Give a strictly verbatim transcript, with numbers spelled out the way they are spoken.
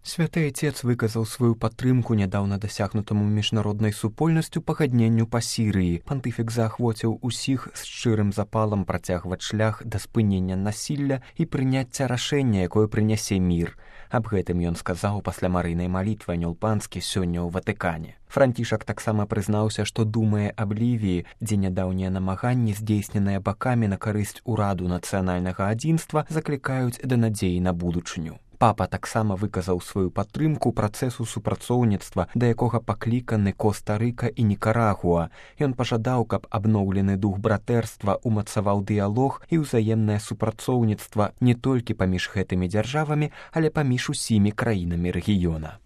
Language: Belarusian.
Святы Отец выказаў сваю падтрымку нядаўна дасягнутаму міжнароднай супольнасцю пагадненню па Сірыі. Пантыфік заахвоціў усіх з шчырым запалам працягваць шлях да спынення насілля і прыняцця рашэння, якое прынясе мір. Аб гэтым ён сказаў пасля марыйнай малітвы анёл-панскі сёння ў Ватыкане. Францішак таксама прызнаўся, што думае аб Лівіі, дзе нядаўнія намаганні, здзейсненыя бакамі на карысць ураду нацыянальнага адзінства, заклікаюць да надзеі на будучыню. Папа таксама выказаў сваю падтрымку працэсу супрацоўніцтва, да якога пакліканы Коста-Рыка і Нікарагуа. Ён пажадаў, каб абноўлены дух братэрства умацаваў дыялог і ўзаемнае супрацоўніцтва не толькі паміж гэтымі дзяржавамі, але паміж усімі краінамі рэгіёна.